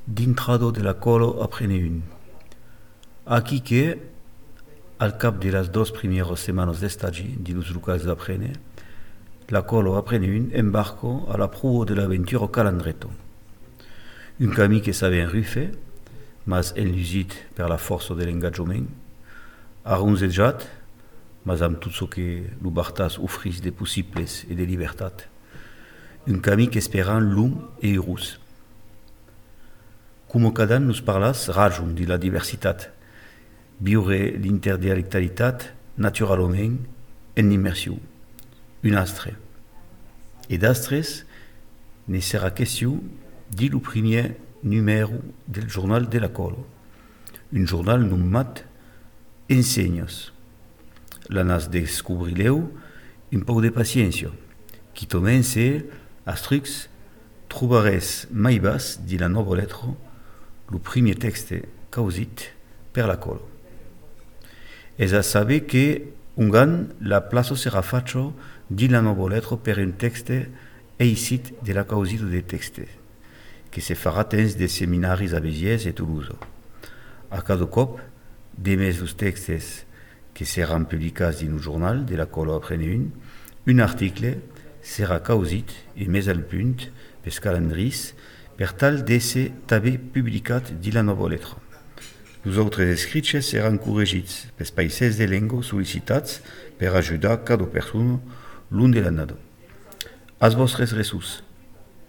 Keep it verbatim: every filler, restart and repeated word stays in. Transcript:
d'intrado de la colo aprene un. Aquí que, al cap de las dos primeras semanas de estagi de los locals d'aprene, la colo aprene un embarco a la proua de l'aventura calandreto. Un camí que sabe enrufe, mas enlusit per la força de l'engagement, arronzejat, mas amb tot ce que lo Bartas ofrís de possibles e de llibertat. Un camí qu'esperant lung e heurós. Com cada an nos parlas rajon de la diversitat, viure l'interdialectalitat naturalment en immersió, un astre. E d'astres ne serà question di lo primer numero del jornal de la colo, un jornal nomat Ensenyos. La nas descobrileu un poc de paciència, qui tomence als trucs trobarès mai bas di la nova letra lo primer texte causit per la colo. Es a saber que un gan la plaça serà fatta di la nova letra per un texte eisit de la causito de texte, que se farà temps de seminaris a Béziers e Toulouse. A cada cop, demés los textes que seran publicats din un jornal de la colo aprene un, un article serà causit e més al punt pels calendris per tal d'ésser també publicat di la nova letra. Los autres escrits seran corregits pels païsers de llengua sol·licitats per ajudar cada persona l'un de l'anada. Als vostres ressus.